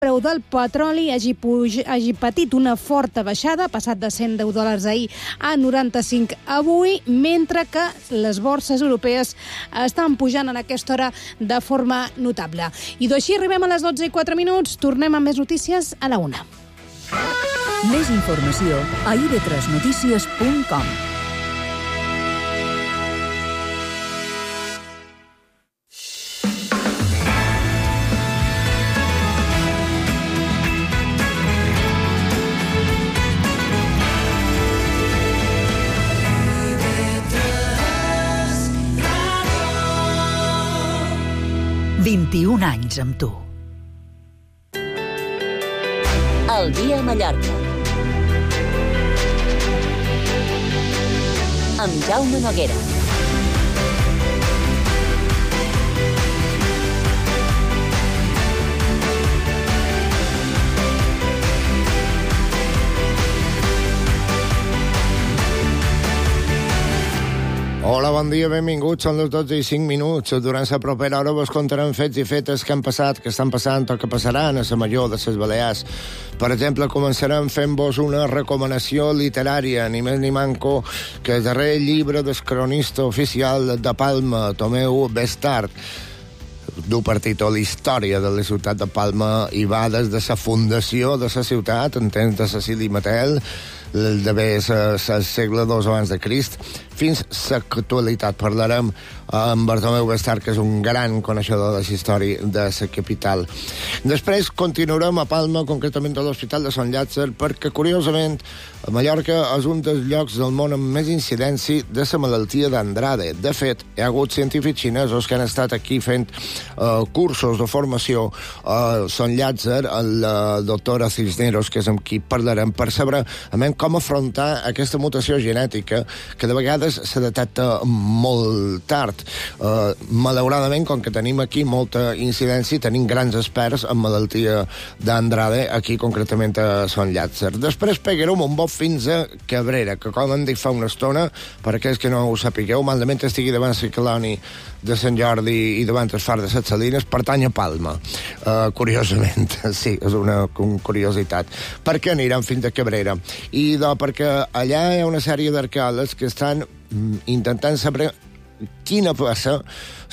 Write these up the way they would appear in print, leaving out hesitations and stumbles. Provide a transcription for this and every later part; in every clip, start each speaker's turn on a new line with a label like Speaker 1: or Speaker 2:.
Speaker 1: preu del petroli hagi patit una forta baixada, passat de $110 ahir a 95 avui, mentre que les borses europees estan pujant en aquesta hora de forma notable. I així arribem a les 12:04. Tornem amb més notícies a la 1.
Speaker 2: Més informació a ib3notícies.com.
Speaker 3: ...21 anys amb tu.
Speaker 2: El dia a Mallorca. Amb Jaume Noguera.
Speaker 4: Hola, bon dia, benvinguts. Són les 12:05. Durant la propera hora vos contarem fets i fetes que han passat, que estan passant o que passaran a la Major de les Balears. Per exemple, començarem fent-vos una recomanació literària, ni més ni manco que el darrer llibre del cronista oficial de Palma, Tomeu Bestart. Du per títol Història de la ciutat de Palma i va des de la fundació de la ciutat, en temps de Cecili Matel, d'haver el segle II abans de Crist, fins a l'actualitat. Parlarem amb Bartomeu Bestart, que és un gran coneixedor de la història de la capital. Després continuarem a Palma, concretament a l'Hospital de Sant Llàtzer, perquè, curiosament, a Mallorca és un dels llocs del món amb més incidència de la malaltia d'Andrade. De fet, hi ha hagut científics xinesos que han estat aquí fent cursos de formació a Sant Llàtzer, el doctor Cisneros, que és amb qui parlarem, per saber com afrontar aquesta mutació genètica que de vegades se detecta molt tard. Malauradament, com que tenim aquí molta incidència, tenim grans experts en malaltia d'Andrade, aquí concretament a Sant Llàtzer. Després pegarem un bot fins a Cabrera, que com hem dit fa una estona, per aquells que no ho sapigueu, malament estigui davant la colònia de Sant Jordi i davant el far de Set Salines, pertany a Palma. Curiosament, sí, és una curiositat. Per què anirem fins a Cabrera? I perquè allà hi ha una sèrie d'arqueòlegs que estan intentant saber quina va ser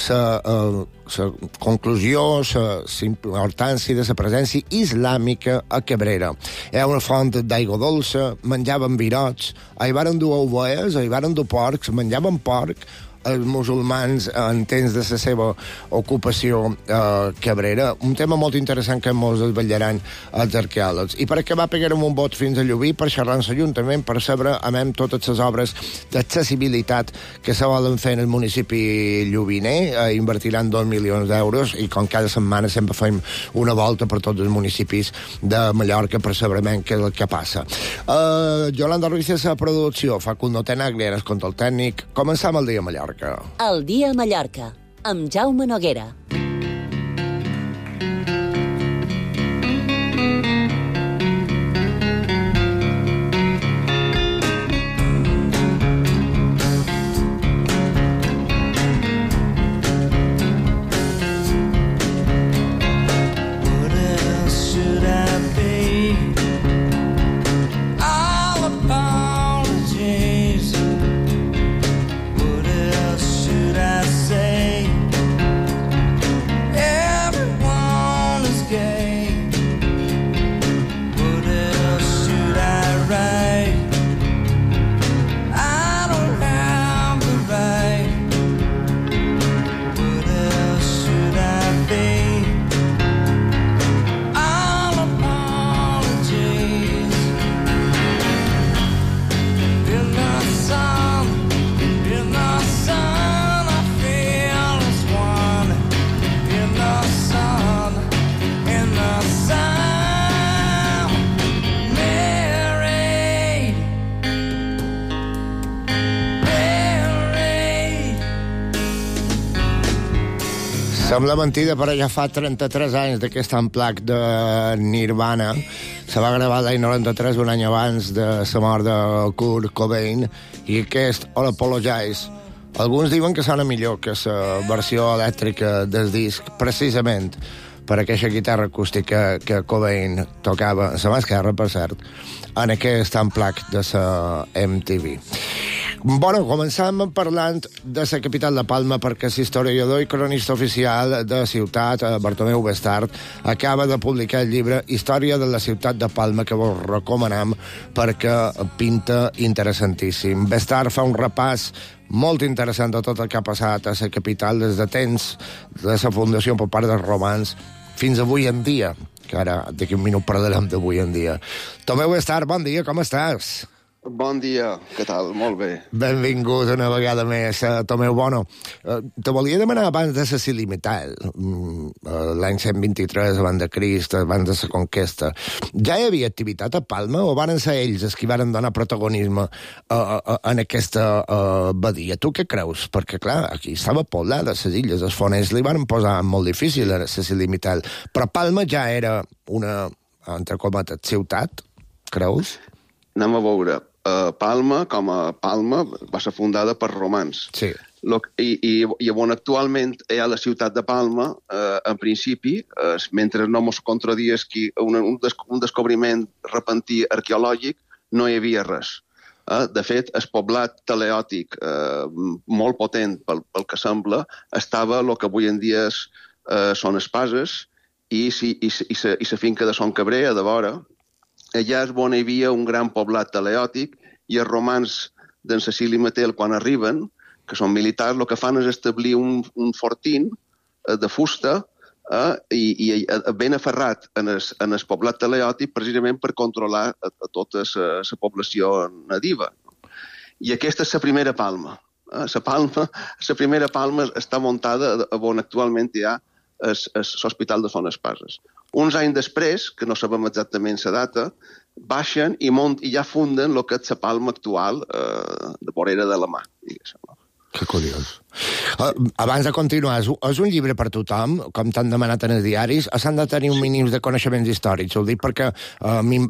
Speaker 4: la conclusió, la importància de la presència islàmica a Cabrera. Hi ha una font d'aigua dolça, menjaven virots, hi varen dur ovelles, hi varen dur porcs, menjaven porc, els musulmans en temps de la seva ocupació a Cabrera. Un tema molt interessant que molts desvetllaran els arqueòlegs. I per acabar pegarem un bot fins a Llubí per xerrar amb l'Ajuntament, per saber amb totes les obres d'accessibilitat que se volen fer en el municipi llubiner. Invertiran 2 milions d'euros i com cada setmana sempre fem una volta per tots els municipis de Mallorca per saber què és el que passa. Yolanda Ruiz és la producció, Facundo Tenaglia és control tècnic. Començam el dia a Mallorca.
Speaker 2: El dia a Mallorca, amb Jaume Noguera.
Speaker 4: Sembla mentida, però ja fa 33 anys d'aquest unplugged de Nirvana. Se va gravar l'any 93, un any abans de la mort de Kurt Cobain, i aquest All Apologize. Alguns diuen que sona millor que la versió elèctrica del disc, precisament per aquesta guitarra acústica que Cobain tocava, la mà esquerra, per cert, en aquest amplac de la MTV. Bueno, començam parlant de la capital de Palma, perquè l'historiador i cronista oficial de la ciutat, Bartomeu Bestart, acaba de publicar el llibre Història de la ciutat de Palma, que vos recomanam perquè pinta interessantíssim. Bestart fa un repàs molt interessant de tot el que ha passat a la capital des de temps de la fundació per part dels romans fins avui en dia, que ara d'aquí un minut parlarem d'avui en dia. Tomeu Bestart, bon dia, com estàs?
Speaker 5: Bon dia, què tal? Molt bé.
Speaker 4: Benvingut una vegada més, Tomeu Bono. Te volia demanar abans de la Cilimital, l'any 123 abans de Crist, abans de la conquesta. Ja hi havia activitat a Palma o van ser ells els que van donar protagonisme en aquesta badia? Tu què creus? Perquè, clar, aquí estava poblada, les illes, els foners li van posar molt difícil a la Cilimital, però Palma ja era una, entre cometes, ciutat, creus?
Speaker 5: Anem a veure. Palma, com a Palma, va ser fundada per romans.
Speaker 4: Sí.
Speaker 5: I on actualment hi ha la ciutat de Palma, en principi, mentre no mos contradies un descobriment repentí arqueològic, no hi havia res. De fet, el poblat teleòtic molt potent, pel que sembla, estava el que avui en dia són Espases i la finca de Son Cabrer, a de vora. Allà és on hi havia un gran poblat teleòtic i els romans d'en Cecili Matel, quan arriben, que són militars, el que fan és establir un fortín de fusta i ben aferrat en el poblat teleòtic precisament per controlar a tota la població nadiva. I aquesta és la primera Palma. La primera Palma està muntada on actualment hi ha l'Hospital de Son Espases. Uns anys després, que no sabem exactament la data, baixen i ja funden el que és la Palma actual de vorera de la mà, diguéssim.
Speaker 4: Que curiós. Abans de continuar, és un llibre per tothom, com t'han demanat en els diaris, s'han de tenir un mínim de coneixements històrics. Ho dic perquè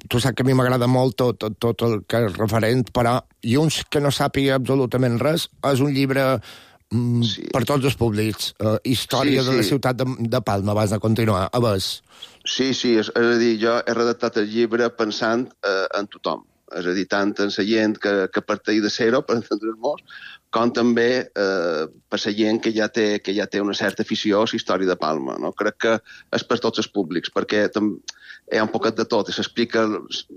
Speaker 4: tu saps que a mi m'agrada molt tot el que és referent, però i uns que no sàpiga absolutament res, és un llibre per tots els públics. Història de la ciutat de Palma, abans de continuar. A veure.
Speaker 5: Sí, és a dir, jo he redactat el llibre pensant en tothom. És a dir, tant en la gent que parteix de zero, per entendre'ns, com també per la gent que ja té una certa afició a la història de Palma. No? Crec que és per tots els públics, perquè hi ha un poquet de tot. S'explica,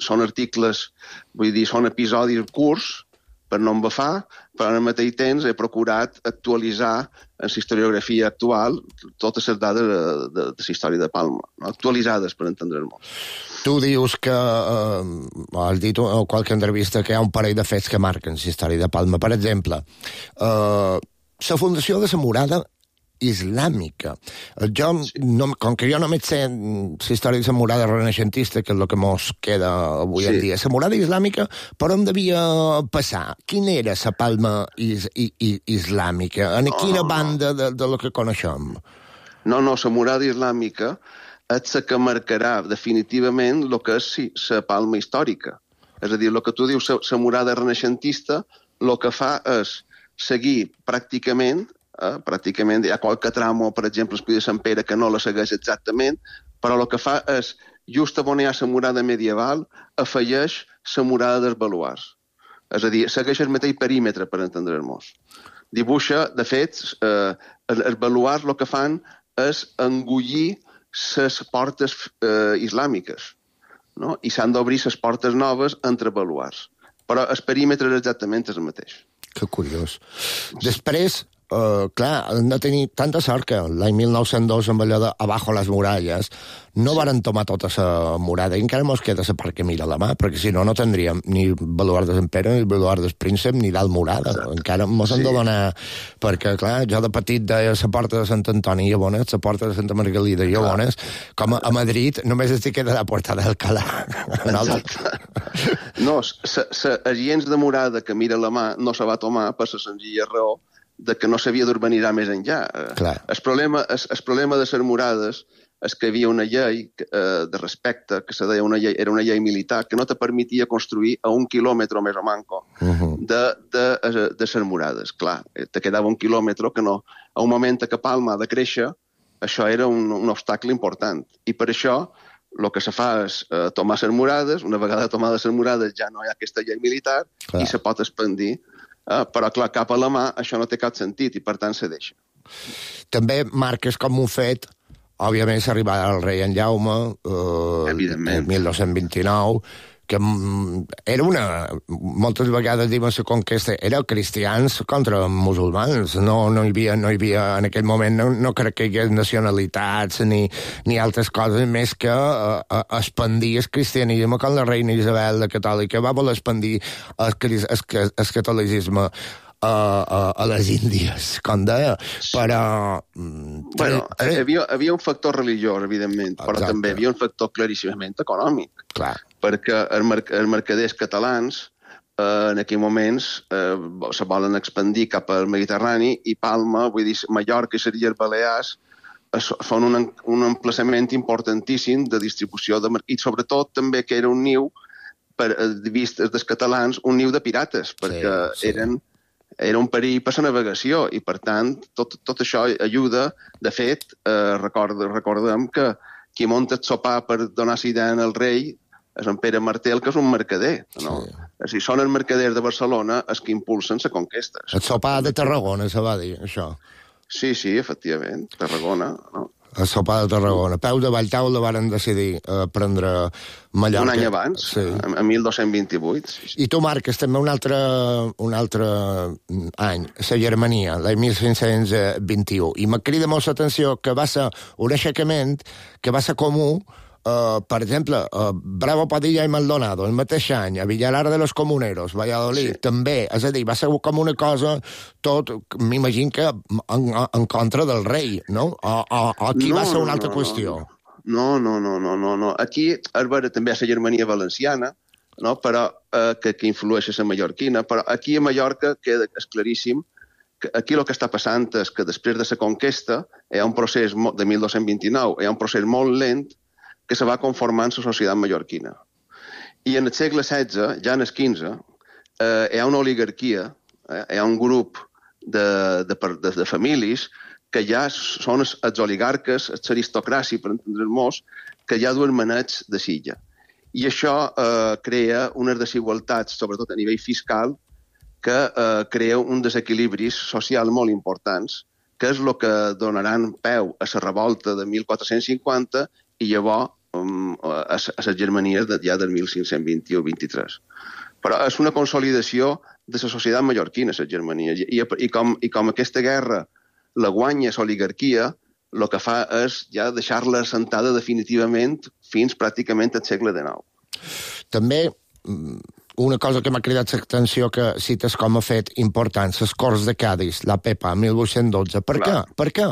Speaker 5: són articles, vull dir, són episodis curts, per no embafar, però al mateix temps he procurat actualitzar en la historiografia actual totes les dades de la història de Palma, no? Actualitzades, per entendre'ns.
Speaker 4: Tu dius que, has dit a qualque entrevista, que hi ha un parell de fets que marquen la història de Palma. Per exemple, la fundació de la murada islàmica. Com que jo només sé la història de la murada renaixentista, que és el que mos queda avui en dia, la murada islàmica, per on devia passar? Quina era la Palma islàmica? En quina banda de lo que coneixem?
Speaker 5: No, la murada islàmica és la que marcarà definitivament el que és la Palma històrica. És a dir, el que tu dius, la murada renaixentista, el que fa és seguir pràcticament hi ha qualque tramo, per exemple, el Pi de Sant Pere, que no la segueix exactament, però el que fa és, just on hi ha la murada medieval, afegeix la murada dels baluars. És a dir, segueix el mateix perímetre, per entendre'ns. Dibuixa, de fet, els baluars el que fan és engullir les portes islàmiques, no? I s'han d'obrir les portes noves entre baluars. Però el perímetre exactament és el mateix.
Speaker 4: Que curiós. Després, clar, hem de tenir tanta sort que l'any 1902, amb allò de Abajo las muralles, no varen tomar tota la murada i encara mos queda la part que mira la mà, perquè si no, no tindríem ni baluard de Sant Pere, ni baluard del Príncep, ni d'Alt Murada. Encara mos hem de donar... Perquè, clar, jo de petit deia la porta de Sant Antoni i Llabones, la porta de Santa Margalida i Llabones, com a Madrid només estic queda la porta d'Alcalá.
Speaker 5: No, la gens de murada que mira la mà no se va tomar per la senzilla raó de que no s'havia d'urbanitzar més enllà. El problema de les murades és que hi havia una llei de respecte, que se deia era una llei militar, que no te permetia construir a 1 quilòmetre més o manco de les murades. Clar, te quedava 1 quilòmetre que no. A un moment que Palma ha de créixer, això era un obstacle important. I per això el que se fa és tomar les murades, una vegada tomades les murades ja no hi ha aquesta llei militar i se pot expandir. Però, clar, cap a la mà això no té cap sentit i, per tant, se deixa.
Speaker 4: També marques com un fet, òbviament, s'arriba al rei en Jaume,
Speaker 5: Evidentment.
Speaker 4: el 1229, que era moltes vegades diuen la conquesta, era cristians contra musulmans, no hi havia en aquell moment, no crec que hi hagués nacionalitats ni altres coses, més que expandir el cristianisme quan la reina Isabel la catòlica va voler expandir el catolicisme a les Índies, com deia, però...
Speaker 5: Bueno, hi havia un factor religiós, evidentment, però també hi havia un factor claríssimament econòmic.
Speaker 4: Clar.
Speaker 5: Perquè els mercaders catalans en aquells moments se volen expandir cap al Mediterrani i Palma, vull dir, Mallorca i les Illes Balears són un emplaçament importantíssim de distribució i sobretot també que era un niu, vist dels catalans, un niu de pirates, perquè era un perill per la navegació i, per tant, tot això ajuda. De fet, recordem que qui munta el sopar per donar cidan al rei és en Pere Martel, que és un mercader. No? Sí. Són els mercaders de Barcelona els que impulsen la conquesta.
Speaker 4: El sopar de Tarragona, se va dir, això.
Speaker 5: Sí, efectivament, Tarragona. No?
Speaker 4: El sopar de Tarragona. Peu de Valltaula varen decidir prendre Mallorca.
Speaker 5: Un any abans, sí. En 1228. Sí.
Speaker 4: I tu marques també un altre any, la Germania, l'any 1521. I me crida molt l'atenció que va ser un aixecament que va ser comú. Per exemple, Bravo, Padilla i Maldonado, el mateix any, a Villalar de los Comuneros, Valladolid, també. És a dir, va ser com una cosa, tot, m'imagino que en contra del rei, no? O aquí va ser una altra qüestió?
Speaker 5: No. Aquí, també a la Germania valenciana, no? Però que influeix a la mallorquina, però aquí a Mallorca queda claríssim que aquí el que està passant és que després de la conquesta hi ha un procés de 1229, hi ha un procés molt lent que se va conformant la societat mallorquina. I en el segle XVI, ja en el XV, hi ha una oligarquia, hi ha un grup de famílies que ja són els oligarques, l'aristocràcia, per entendre'ns, que ja duen manets de silla. I això crea unes desigualtats, sobretot a nivell fiscal, que crea un desequilibris social molt importants, que és el que donaran peu a la revolta de 1450 i llavors a les Germanies ja del 1521-23. Però és una consolidació de la societat mallorquina, les Germanies, i com aquesta guerra la guanya l'oligarquia, el que fa és ja deixar-la assentada definitivament fins pràcticament al segle XIX.
Speaker 4: També una cosa que m'ha cridat l'atenció que cites com a fet important, les Corts de Cádiz, la PEPA, 1812. Per què?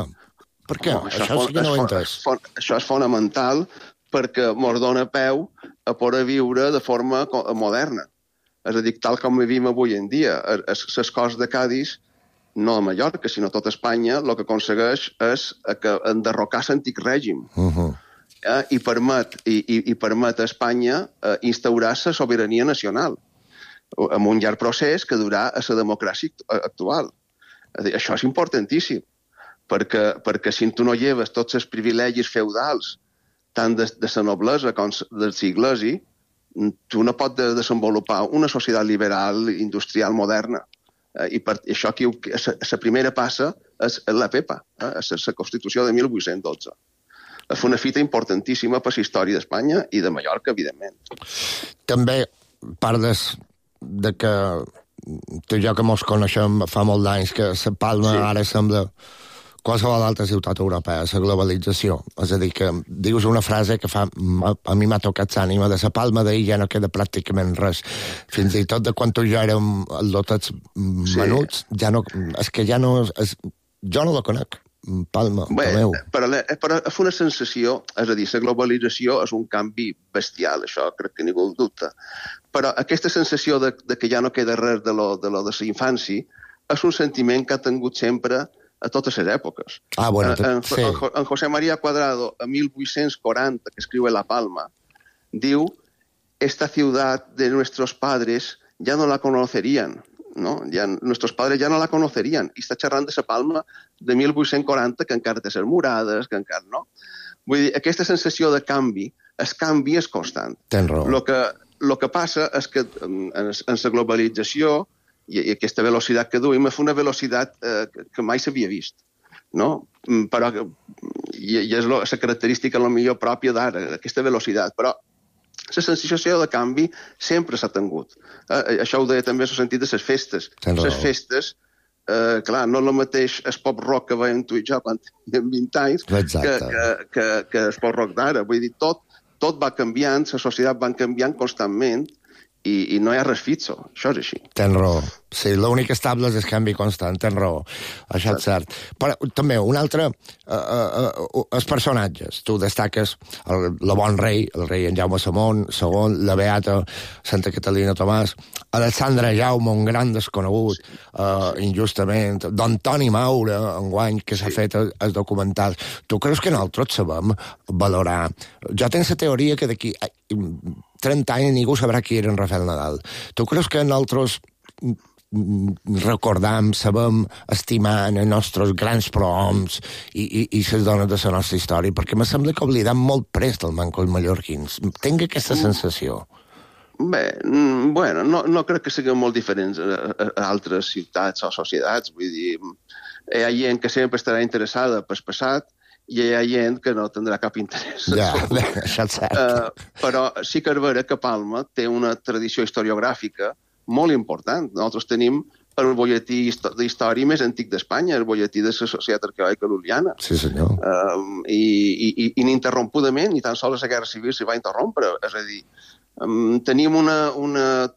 Speaker 4: Això sí que no ho he entès.
Speaker 5: Això és fonamental perquè ens dona peu a poder viure de forma moderna. És a dir, tal com vivim avui en dia. Les Corts de Cádiz, no a Mallorca, sinó a tot Espanya, el que aconsegueix és enderrocar l'antic règim. I permet a Espanya instaurar la sobirania nacional amb un llarg procés que durà a la democràcia actual. Això és importantíssim, perquè si tu no lleves tots els privilegis feudals tant de la noblesa com del siglesi, tu no pots desenvolupar una societat liberal, industrial, moderna. I per això aquí la primera passa és la PEPA, la Constitució de 1812. És una fita importantíssima per la història d'Espanya i de Mallorca, evidentment.
Speaker 4: També parles de que tu i jo que mos coneixem fa molt d'anys, que la Palma ara sembla qualsevol altra ciutat europea, la globalització. És a dir, que dius una frase que a mi m'ha tocat l'ànima, de la Palma d'ahir ja no queda pràcticament res. Fins i tot de quan tu i jo érem lotats menuts, ja no, és que ja no... Jo no la conec. Palma, meu.
Speaker 5: Però és una sensació, és a dir, la globalització és un canvi bestial, això crec que ningú dubta. Però aquesta sensació de que ja no queda res de la infància és un sentiment que ha tingut sempre a totes les èpoques. En José María Cuadrado, a 1840, que escriu La Palma, diu: «Esta ciudad de nuestros padres ya no la conocerían. no? Nuestros padres ja no la conocerían. I està xerrant de la Palma de 1840, que encara té les murades, que encara no. Vull dir, aquesta sensació de canvi, el canvi és constant.
Speaker 4: Tens raó.
Speaker 5: Lo que passa és que en la globalització i aquesta velocitat que duim és una velocitat que mai s'havia vist, no? Però i és la característica millor pròpia d'ara, aquesta velocitat, però la sensació de canvi sempre s'ha tingut. Això ho deia també en el sentit de les festes. Les festes, clar, no és el mateix el pop rock que veiem tu i jo quan teníem 20 anys que el pop rock d'ara. Vull dir, tot va canviant, la societat va canviant constantment i no hi ha res fixo. Això és així.
Speaker 4: Tens raó. Sí, l'únic estable és el canvi constant, tens raó. Això és cert. Però també, un altre, els personatges. Tu destaques el bon rei, el rei en Jaume II, la beata Santa Catalina Tomàs, Alexandre Jaume, un gran desconegut, injustament, d'Antoni Maura, enguany, que s'ha fet el documental. Tu creus que nosaltres sabem valorar? Jo tinc la teoria que d'aquí 30 anys ningú sabrà qui era en Rafael Nadal. Tu creus que nosaltres recordam, sabem estimar els nostres grans prohoms i les dones de la nostra història? Perquè me sembla que oblidam molt prest el mancos mallorquins. Tinc aquesta sensació.
Speaker 5: Bé, bueno, no crec que siguin molt diferents a altres ciutats o societats. Vull dir, hi ha gent que sempre estarà interessada pel passat i hi ha gent que no tindrà cap interès.
Speaker 4: Ja, això és cert.
Speaker 5: Però sí que és vera que Palma té una tradició historiogràfica molt important. Nosaltres tenim el butlletí d'història més antic d'Espanya, el butlletí de la Societat Arqueològica Lul·liana.
Speaker 4: Sí, senyor.
Speaker 5: I ininterrompudament, ni tan sols la Guerra Civil s'hi va interrompre. És a dir, tenim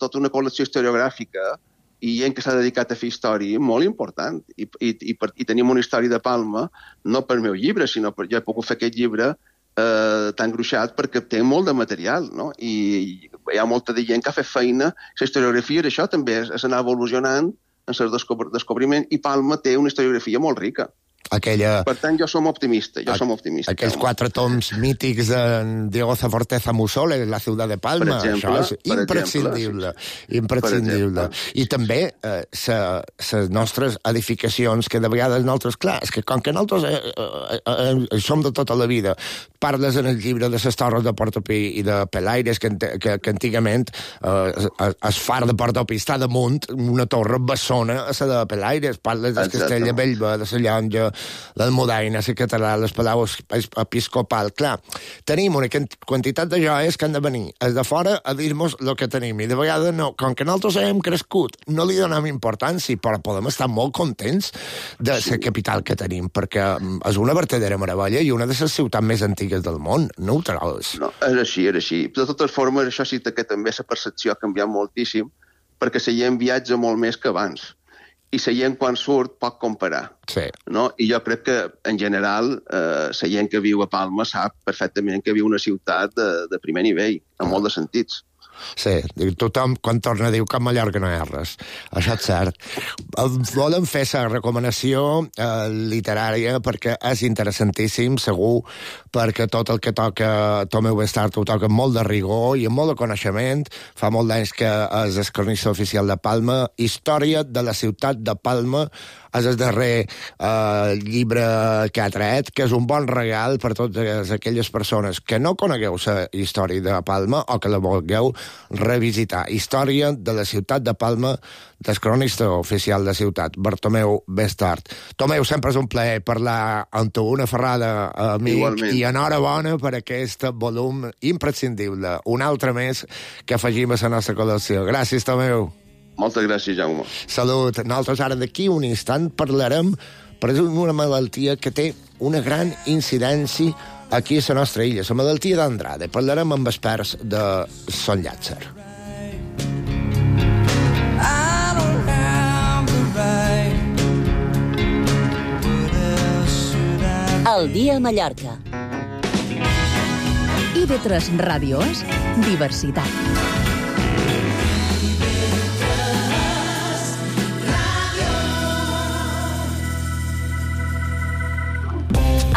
Speaker 5: tota una col·lecció historiogràfica i gent que s'ha dedicat a fer història molt important. I tenim una història de Palma, no per meu llibre, sinó per jo he pogut fer aquest llibre tan gruixat perquè té molt de material, no? I hi ha molta de gent que ha fet feina. La historiografia d'això també és anar evolucionant en el descobriment i Palma té una historiografia molt rica. Per tant, jo som optimista.
Speaker 4: Aquells 4 toms mítics de Diego Zaforteza Musole, La ciutat de Palma, això és imprescindible. I també les nostres edificacions, que de vegades nosaltres, clar, és que com que nosaltres som de tota la vida, parles en el llibre de les torres de Portopí i de Pelaires, que antigament el far de Portopí està damunt una torre bessona a la de Pelaires, parles del castell de Bellver, de la Llonja, l'Almudaina, la Catedral, les Palau Episcopal. Clar, tenim una quantitat de joies que han de venir els de fora a dir-nos el que tenim. I de vegades, no, com que nosaltres hem crescut, no li donem importància, però podem estar molt contents de la capital que tenim, perquè és una verdadera meravella i una de les ciutats més antigues del món. No ho trobes?
Speaker 5: No, és així. De totes formes, això sí que també la percepció ha canviat moltíssim, perquè la gent viatja molt més que abans. I la gent, quan surt, pot comparar.
Speaker 4: Sí.
Speaker 5: No? I jo crec que, en general, la gent que viu a Palma sap perfectament que viu una ciutat de primer nivell, en molt de sentits.
Speaker 4: Sí, tothom quan torna diu que a Mallorca no hi ha res. Això és cert. Volem fer la recomanació literària perquè és interessantíssim, segur, perquè tot el que toca Tomeu Bestart ho toca molt de rigor i amb molt de coneixement. Fa molt d'anys que és el cronista oficial de Palma. Història de la ciutat de Palma és el darrer llibre que ha tret, que és un bon regal per totes aquelles persones que no conegueu la història de Palma o que la vulgueu revisitar. Història de la ciutat de Palma, del cronista oficial de ciutat, Bartomeu Bestart. Tomeu, sempre és un plaer parlar amb tu, una ferrada, amic. Igualment. I enhorabona per aquest volum imprescindible. Un altre més que afegim a la nostra col·lecció. Gràcies, Tomeu.
Speaker 5: Moltes gràcies, Jaume.
Speaker 4: Salut. Nosaltres ara d'aquí un instant parlarem per una malaltia que té una gran incidència aquí a la nostra illa, la malaltia d'Andrade. Parlarem amb experts de Son Llàtzer.
Speaker 2: El dia a Mallorca.
Speaker 3: IB3 Ràdio és diversitat.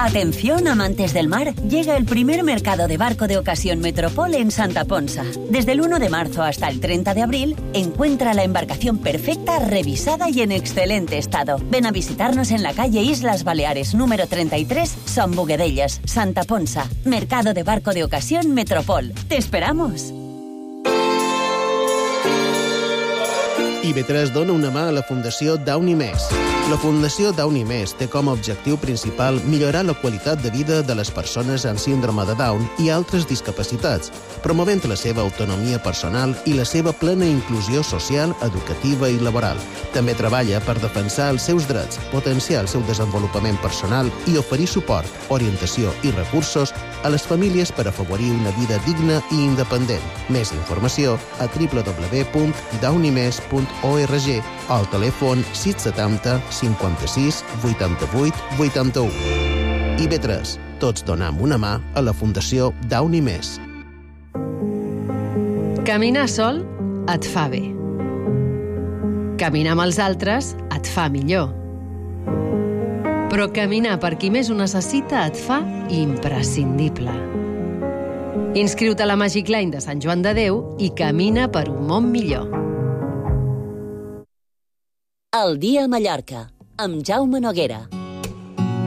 Speaker 2: Atención, amantes del mar, llega el primer mercado de barco de ocasión Metropol en Santa Ponsa. Desde el 1 de marzo hasta el 30 de abril, encuentra la embarcación perfecta, revisada y en excelente estado. Ven a visitarnos en la calle Islas Baleares, número 33, Son Boguedellas, Santa Ponsa. Mercado de barco de ocasión Metropol. ¡Te esperamos!
Speaker 6: IB3 dona una mà a la Fundació Downy Més. La Fundació Downy Més té com a objectiu principal millorar la qualitat de vida de les persones amb síndrome de Down i altres discapacitats, promovent la seva autonomia personal i la seva plena inclusió social, educativa i laboral. També treballa per defensar els seus drets, potenciar el seu desenvolupament personal i oferir suport, orientació i recursos a les famílies per afavorir una vida digna i independent. Més informació a www.downymes.org o al telèfon 670 56 88 81. IB3. Tots donam una mà a la Fundació Downy Més.
Speaker 7: Caminar sol et fa bé. Caminar amb els altres et fa millor. Però caminar per qui més ho necessita et fa imprescindible. Inscriu-te a la Magic Line de Sant Joan de Déu i camina per un món millor.
Speaker 2: El dia a Mallorca, amb Jaume Noguera.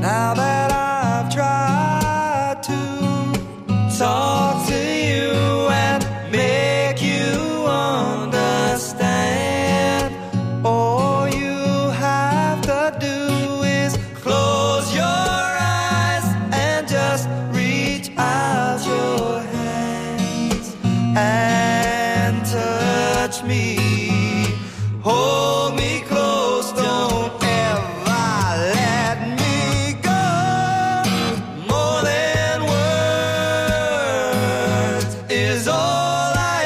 Speaker 8: Now that I've tried to talk to you and make you understand, all you have to do is close your eyes and just reach out your hands and touch me. Hold me close, don't ever let me go. More than words is all I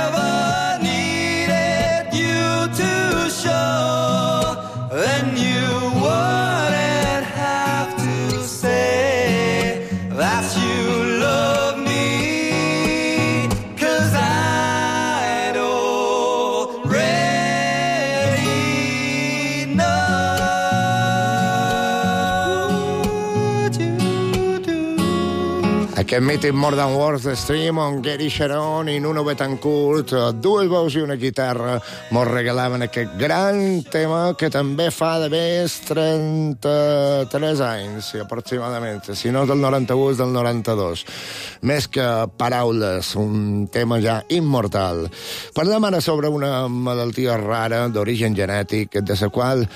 Speaker 8: ever needed you to show. Then you wouldn't have to say that you love me, 'cause I'd already
Speaker 4: Aquest mític More Than Words de Stream, on Gary Sharon i Nuno Betancourt, dues veus i una guitarra, mos regalaven aquest gran tema que també fa de més 33 anys, aproximadament. Si no és del 91, és del 92. Més que paraules, un tema ja immortal. Parlem ara sobre una malaltia rara d'origen genètic, de la qual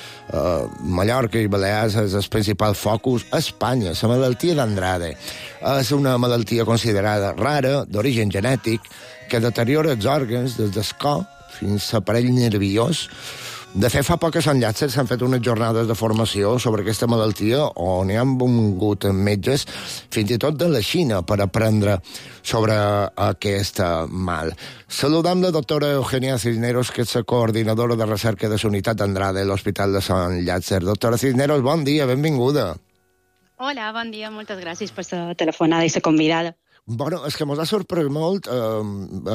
Speaker 4: Mallorca i Balears és el principal focus a Espanya, la malaltia d'Andrade. És una malaltia considerada rara, d'origen genètic, que deteriora els òrgans des del cor fins a l'aparell nerviós. De fet, fa poques en Llàtzer s'han fet unes jornades de formació sobre aquesta malaltia on hi han vingut metges, fins i tot de la Xina, per aprendre sobre aquest mal. Saludam la doctora Eugenia Cisneros, que és la coordinadora de recerca de la unitat d'Andrade a l'Hospital de Sant Llàtzer. Doctora Cisneros, bon dia, benvinguda.
Speaker 9: Hola, bon dia, moltes gràcies per la telefonada i la convidada.
Speaker 4: Bueno, és que mos ha sorprès molt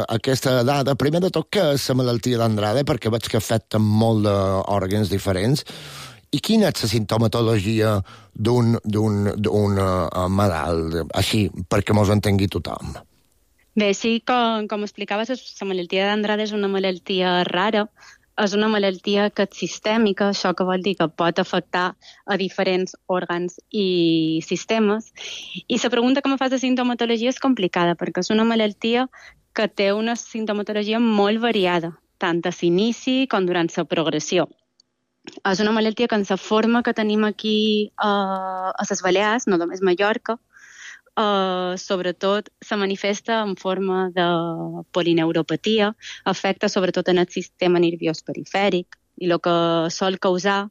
Speaker 4: aquesta dada. Primer de tot, què és la malaltia d'Andrade, perquè veig que afecta molt d'òrgans diferents. I quina és la sintomatologia d'un malalt, així, perquè mos entengui tothom?
Speaker 9: Bé, sí, com explicaves, la malaltia d'Andrade és una malaltia rara. És una malaltia que és sistèmica, això que vol dir que pot afectar a diferents òrgans i sistemes. I la pregunta que me fas de sintomatologia és complicada, perquè és una malaltia que té una sintomatologia molt variada, tant a l'inici com durant la progressió. És una malaltia que en la forma que tenim aquí a les Balears, no només Mallorca, sobretot se manifesta en forma de polineuropatia, afecta sobretot en el sistema nerviós perifèric, i el que sol causar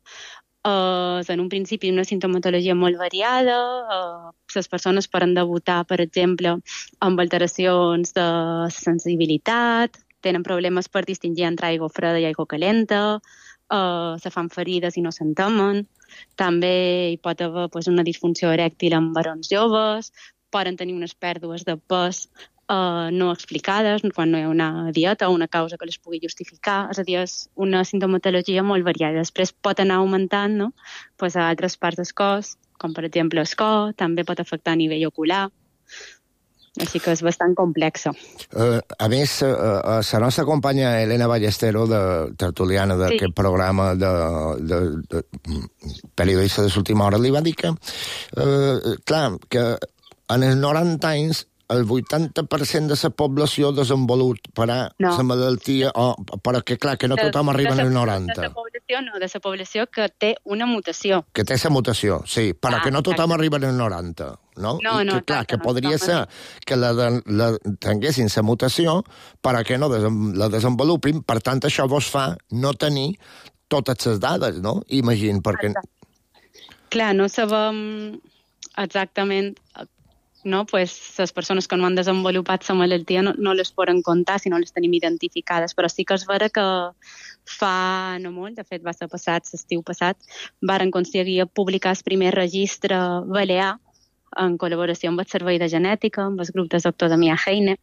Speaker 9: és en un principi una sintomatologia molt variada. Les persones poden debutar, per exemple, amb alteracions de sensibilitat, tenen problemes per distingir entre aigua freda i aigua calenta, se fan ferides i no s'entemen. També hi pot haver una disfunció erèctil en varons joves, poden tenir unes pèrdues de pes no explicades quan no hi ha una dieta o una causa que les pugui justificar. És a dir, és una sintomatologia molt variada. Després pot anar augmentant, no? A altres parts del cos, com per exemple el cor, també pot afectar a nivell ocular, així que és bastant complexa.
Speaker 4: A més, la nostra companya Elena Ballestero, tertuliana d'aquest programa de periodista de l'última hora, li va dir que, clar, que en els 90 anys el 80% de la població desenvoluparà la malaltia, però que, clar, que no tothom arriba als 90.
Speaker 9: De la població que té una mutació.
Speaker 4: Que té la mutació, sí, però que no tothom arriba als 90, no?
Speaker 9: No,
Speaker 4: I que, clar, que podria ser que tinguessin la mutació, però que no la desenvolupin, per tant, això vos fa no tenir totes les dades, no? Imagina, perquè...
Speaker 9: Clar, no sabem exactament... No, pues, les persones que no han desenvolupat la malaltia no les poden comptar si no les tenim identificades, però sí que és vera que fa no molt, de fet va ser l'estiu passat, varen aconseguir publicar el primer registre balear en col·laboració amb el Servei de Genètica, amb el grup del doctor Damià Heine,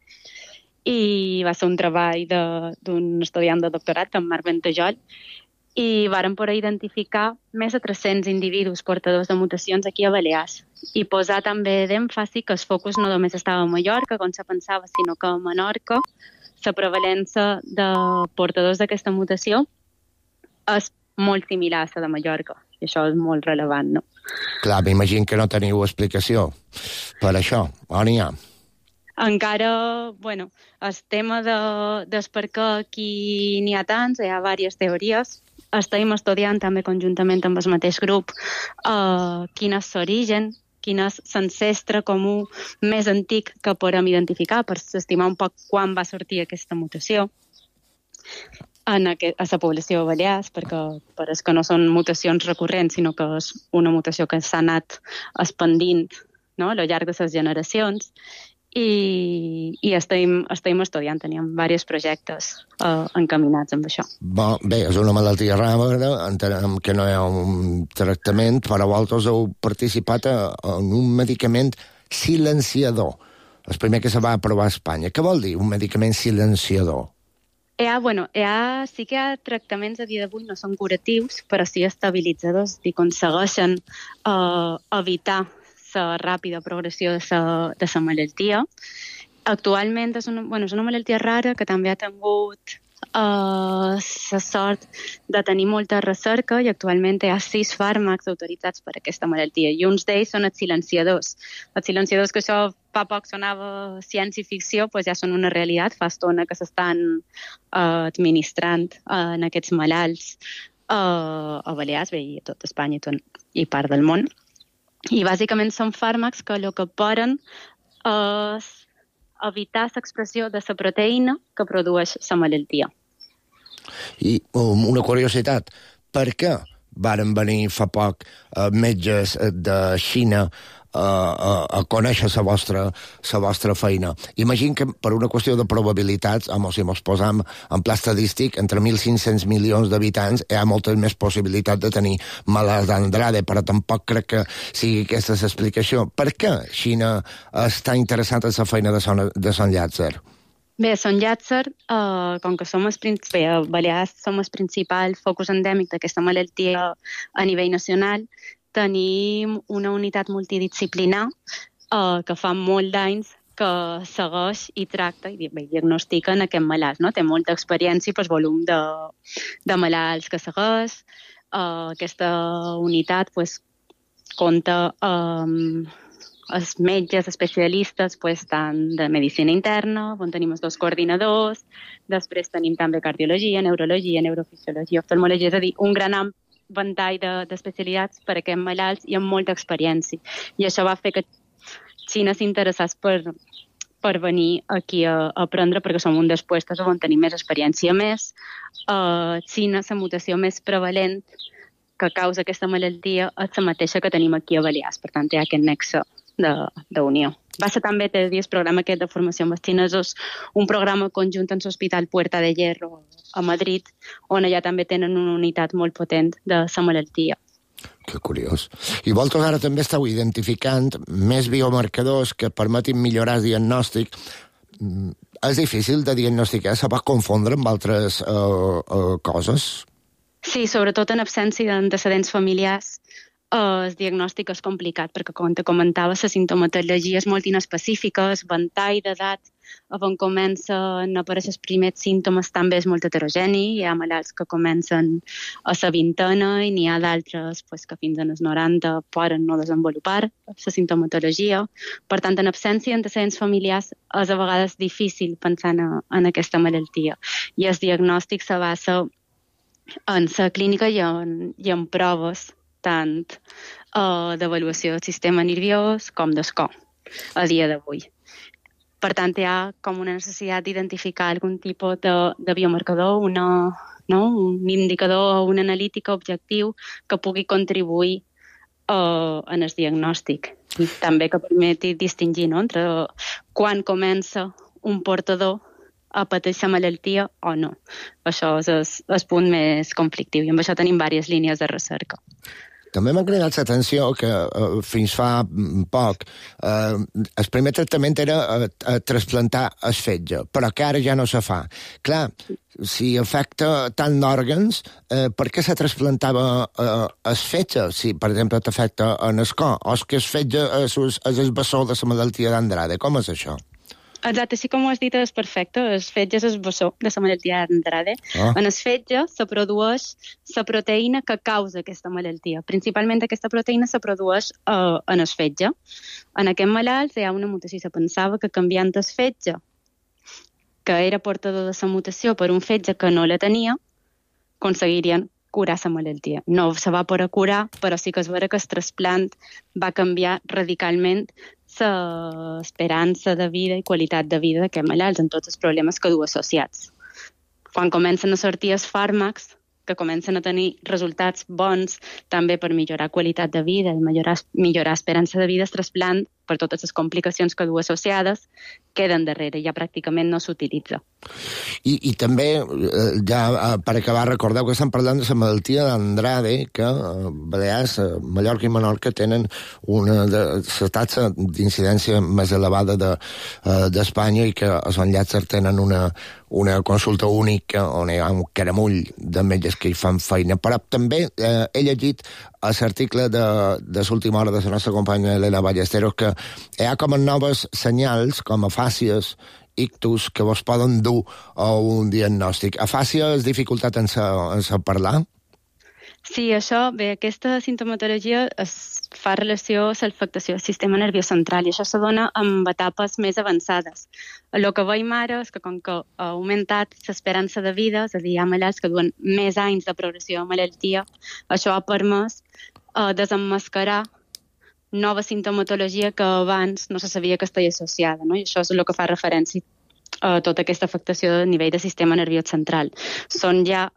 Speaker 9: i va ser un treball d'un estudiant de doctorat, en Marc Ventajol, i varen poder identificar més de 300 individus portadors de mutacions aquí a Balears i posar també d'èmfasi que el focus no només estava a Mallorca, com se pensava, sinó que a Menorca la prevalença de portadors d'aquesta mutació és molt similar a la de Mallorca, i això és molt relevant, no?
Speaker 4: Clar, m'imagino que no teniu explicació per això, o n'hi ha?
Speaker 9: Encara, bueno, el tema del per què aquí n'hi ha tants, hi ha diverses teories. Estem estudiant també conjuntament amb el mateix grup quin és l'origen, quin és l'ancestre comú més antic que podem identificar per estimar un poc quan va sortir aquesta mutació a la població de Balears, perquè és que no són mutacions recurrents, sinó que és una mutació que s'ha anat expandint, no?, a lo llarg de les generacions. I estem estudiant, teníem diversos projectes encaminats amb això.
Speaker 4: Bé, és una malaltia rara, entenem que no hi ha un tractament, però vosaltres heu participat en un medicament silenciador, el primer que se va aprovar a Espanya. Què vol dir un medicament silenciador?
Speaker 9: Sí que hi ha tractaments a dia d'avui, no són curatius, però sí estabilitzadors, i aconsegueixen evitar la ràpida progressió de la malaltia. Actualment és una malaltia rara que també ha tingut la sort de tenir molta recerca i actualment hi ha 6 fàrmacs autoritzats per a aquesta malaltia i uns d'ells són els silenciadors. Els silenciadors, que això fa poc sonava ciència-ficció, doncs ja són una realitat, fa estona que s'estan administrant en aquests malalts a Balears, bé, i a tot Espanya i part del món. I bàsicament són fàrmacs que el que poden és evitar l'expressió de la proteïna que produeix la malaltia.
Speaker 4: I una curiositat, per què varen venir fa poc metges de Xina a conèixer la vostra feina? Imagino que per una qüestió de probabilitats, si ens posam en pla estadístic, entre 1.500 milions d'habitants hi ha moltes més possibilitats de tenir malalts d'Andrade, però tampoc crec que sigui aquesta l'explicació. Per què Xina està interessada en la feina de Sant Llàtzer?
Speaker 9: Bé, a Sant Llàtzer, com que a Balears som el principal focus endèmic d'aquesta malaltia a nivell nacional, tenim una unitat multidisciplinar que fa molt d'anys que segueix i tracta i diagnostica en aquest malalt. No? Té molta experiència per volum de malalts que segueix. Aquesta unitat compta els metges especialistes tant de medicina interna, on tenim els 2 coordinadors, després tenim també cardiologia, neurologia, neurofisiologia, oftalmologia, és a dir, un gran ventall d'especialitats per a aquests malalts i amb molta experiència. I això va fer que Xina s'interessés per venir aquí a aprendre, perquè som un dels puestos on tenim més experiència. A més, a Xina la mutació més prevalent que causa aquesta malaltia és la mateixa que tenim aquí a Balears, per tant hi ha aquest nexe d'unió. Va ser també el programa aquest de formació amb els xinesos, un programa conjunt en l'Hospital Puerta de Hierro a Madrid, on allà també tenen una unitat molt potent de la malaltia.
Speaker 4: Que curiós. I vosaltres ara també esteu identificant més biomarcadors que permetin millorar el diagnòstic. És difícil de diagnosticar? Se pot confondre amb altres coses?
Speaker 9: Sí, sobretot en absència d'antecedents familiars. el diagnòstic és complicat, perquè, com te comentava, la sintomatologia és molt inespecífica, el ventall d'edat on comencen a aparèixer els primers símptomes també és molt heterogeni. Hi ha malalts que comencen a la vintena i n'hi ha d'altres que fins als 90 poden no desenvolupar la sintomatologia. Per tant, en absència d'antecedents familiars és a vegades difícil pensar en aquesta malaltia. I el diagnòstic se basa en la clínica i en proves tant d'avaluació del sistema nerviós com del cor a dia d'avui. Per tant, hi ha com una necessitat d'identificar algun tipus de biomarcador, un indicador o una analítica objectiu que pugui contribuir en el diagnòstic i també que permeti distingir entre quan comença un portador a patir la malaltia o no. Això és el punt més conflictiu i amb això tenim diverses línies de recerca.
Speaker 4: També m'ha cridat l'atenció que fins fa poc el primer tractament era trasplantar el fetge, però que ara ja no se fa. Clar, si afecta tant d'òrgans, per què se trasplantava el fetge? Si, per exemple, t'afecta en el cor, o és que el fetge és el bessó de la malaltia d'Andrade. Com és això?
Speaker 9: Exacte, així com ho has dit és perfecte. El fetge és el bessó de la malaltia d'Andrade. En el fetge se produeix la proteïna que causa aquesta malaltia. Principalment aquesta proteïna se produeix en el fetge. En aquest malalt hi ha una mutació. Se pensava que canviant el fetge, que era portador de la mutació, per un fetge que no la tenia, aconseguirien curar la malaltia. No se va poder curar, però sí que és vera que el trasplant va canviar radicalment l'esperança de vida i qualitat de vida d'aquests malalts amb tots els problemes que du associats. Quan comencen a sortir els fàrmacs, que comencen a tenir resultats bons també per millorar qualitat de vida i millorar esperança de vida, el trasplant, per totes les complicacions que du associades, queden darrere, ja pràcticament no s'utilitza.
Speaker 4: I també, ja per acabar, recordeu que estem parlant de la malaltia d'Andrade, que Balears, Mallorca i Menorca tenen una de la taxa d'incidència més elevada d'Espanya i que els enllaços tenen una consulta única on hi ha un caramull de metges que hi fan feina. Però també he llegit a l'article de l'última hora de la nostra companya Elena Ballesteros que hi ha com a noves senyals, com a fàcies, ictus, que vos poden dur a un diagnòstic. Afàsia és dificultat en parlar?
Speaker 9: Sí, aquesta sintomatologia fa relació a l'afectació del sistema nerviós central i això se dona amb etapes més avançades. El que veiem ara és que com que ha augmentat l'esperança de vida, és a dir, hi ha malalts que duen més anys de progressió de malaltia, això ha permès desemmascarar nova sintomatologia que abans no se sabia que estava associada, no? I això és el que fa referència a tota aquesta afectació a nivell del sistema nerviós central. Són ja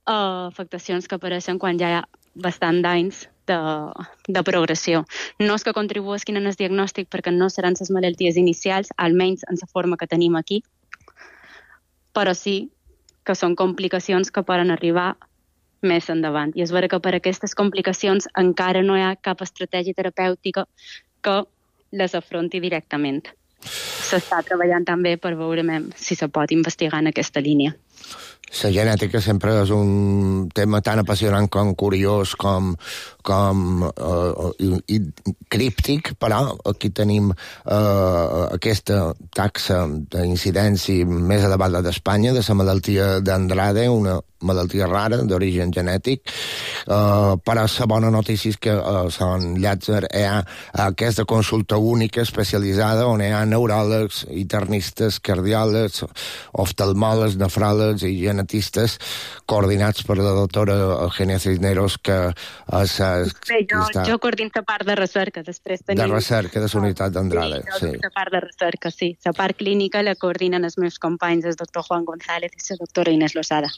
Speaker 9: afectacions que apareixen quan ja hi ha bastant d'anys de progressió. No és que contribueixin en el diagnòstic perquè no seran les malalties inicials, almenys en la forma que tenim aquí, però sí que són complicacions que poden arribar més endavant. I és vera que per aquestes complicacions encara no hi ha cap estratègia terapèutica que les afronti directament. S'està treballant també per veure si se pot investigar en aquesta línia.
Speaker 4: La genètica sempre és un tema tan apassionant com curiós, com críptic, però aquí tenim aquesta taxa d'incidència més elevada d'Espanya, de la malaltia d'Andrade, una malaltia rara, d'origen genètic, però la bona notícia és que a Sant Llàtzer hi ha aquesta consulta única especialitzada on hi ha neuròlegs, internistes, cardiòlegs, oftalmòlegs, nefròlegs i genetistes coordinats per la doctora Eugenia Cisneros, que
Speaker 9: jo coordino la part de recerca, després tenim...
Speaker 4: De recerca, de la unitat d'Andrade, sí.
Speaker 9: La part de recerca, sí. La part clínica la coordinen els meus companys, el doctor Juan González i la doctora Inés Lozada.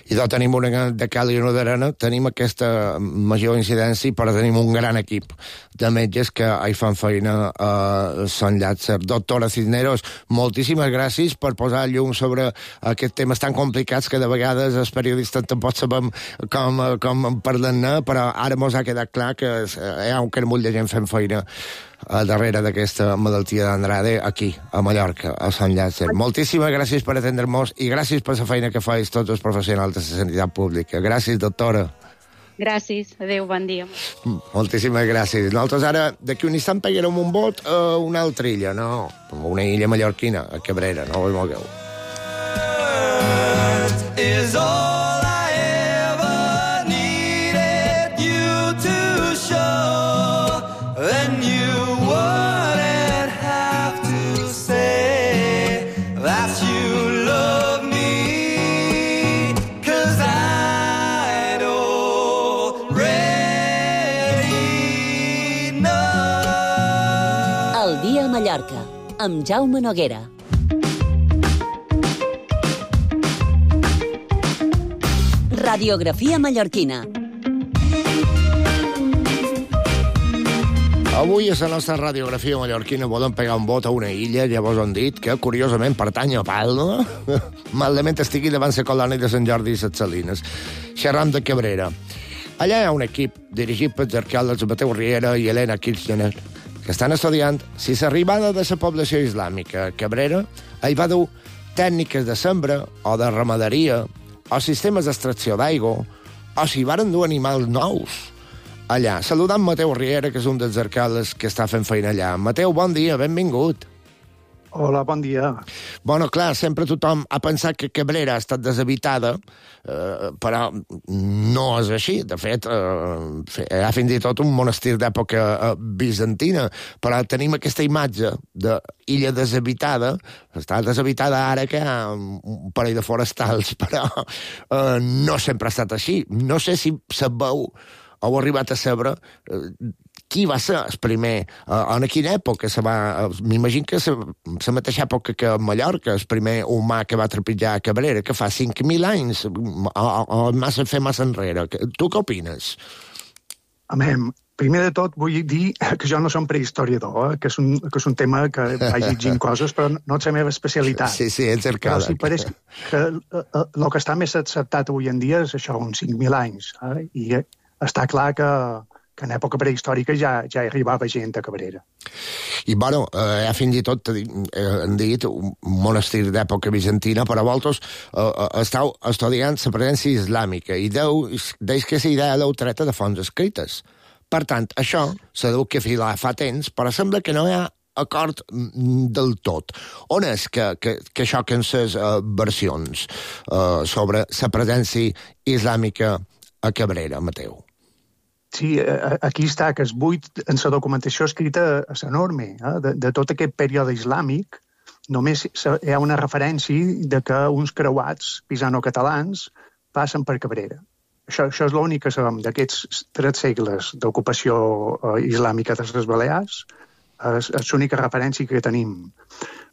Speaker 4: I tenim una de cal i una d'arena, tenim aquesta major incidència, però tenim un gran equip de metges que hi fan feina a Sant Llàtzer. Doctora Cisneros, moltíssimes gràcies per posar llum sobre aquests temes tan complicats que de vegades els periodistes tampoc sabem com parlar-ne, però ara mos ha quedat clar que hi ha un carmull de gent fent feina darrere d'aquesta malaltia d'Andrade aquí, a Mallorca, a Sant Llàtzer. Moltíssimes gràcies per atendre-nos i gràcies per la feina que fais tots els professionals de la sanitat pública. Gràcies, doctora.
Speaker 9: Gràcies, adeu, bon dia.
Speaker 4: Moltíssimes gràcies. Nosaltres ara, d'aquí un instant, pegarem un vot a una altra illa, no? Una illa mallorquina, a Cabrera, no ho mogueu.
Speaker 8: Is all I ever needed you to show, then you wouldn't have to say that you love me, 'cause I'd already know.
Speaker 2: El dia a Mallorca, amb Jaume Noguera. Radiografia mallorquina.
Speaker 4: Avui a la nostra radiografia mallorquina volem pegar un vot a una illa, llavors han dit que, curiosament, pertany a Palma, malament estigui davant la colònia de Sant Jordi i les Salines. Xerram de Cabrera. Allà hi ha un equip dirigit pels arqueòlegs Mateu Riera i Helena Kirchner, que estan estudiant si l'arribada de la població islàmica a Cabrera hi va dur tècniques de sembra o de ramaderia o sistemes d'extracció d'aigua, o si varen dur animals nous allà. Saludant Mateu Riera, que és un dels arqueòlegs que està fent feina allà. Mateu, bon dia, benvingut.
Speaker 10: Hola, bon dia.
Speaker 4: Bueno, clar, sempre tothom ha pensat que Cabrera ha estat deshabitada, però no és així. De fet, hi ha fins i tot un monestir d'època bizantina, però tenim aquesta imatge d'illa deshabitada. Està deshabitada ara que hi ha un parell de forestals, però no sempre ha estat així. No sé si sabeu o heu arribat a saber qui va ser el primer, en quina època se va... M'imagino que la mateixa època que a Mallorca, el primer humà que va trepitjar a Cabrera, que fa 5.000 anys, o fer massa enrere. Tu què opines?
Speaker 10: Primer de tot vull dir que jo no som prehistoriador, que és un tema que vaig llegint coses, però no és la meva especialitat.
Speaker 4: Sí, ets arqueòleg.
Speaker 10: Però sí pareix que el que està més acceptat avui en dia és això, uns 5.000 anys. I està clar que en època prehistòrica ja hi arribava gent a Cabrera.
Speaker 4: I, bueno, fins i tot han dit un monestir d'època bizantina, però vosaltres esteu estudiant la presència islàmica i deus que la idea l'heu treta de fonts escrites. Per tant, això s'ha dut que filar fa temps, però sembla que no hi ha acord del tot. On és que xoquen les versions sobre la presència islàmica a Cabrera, Mateu?
Speaker 10: Sí, aquí està, que es buit en la documentació escrita és enorme. De tot aquest període islàmic, només hi ha una referència de que uns creuats pisano-catalans passen per Cabrera. Això és l'únic que sabem d'aquests 3 segles d'ocupació islàmica de les Balears, és l'única referència que tenim.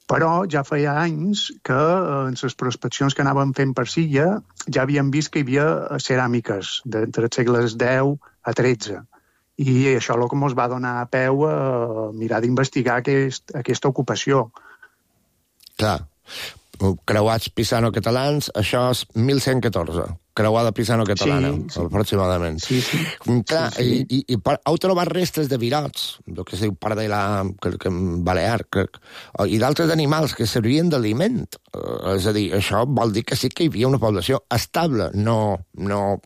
Speaker 10: Però ja feia anys que en les prospeccions que anàvem fent per Silla ja havíem vist que hi havia ceràmiques d'entre els segles X a XIII. I això és el que ens va donar a peu a mirar d'investigar aquesta ocupació.
Speaker 4: Clar, creuats pisano-catalans, això és 1114. Creuada pisano-catalana, sí, aproximadament.
Speaker 10: Sí.
Speaker 4: Clar, sí. I heu trobat restes de virots, el que es diu pardela balear, crec, i d'altres animals que servien d'aliment. És a dir, això vol dir que sí que hi havia una població estable, no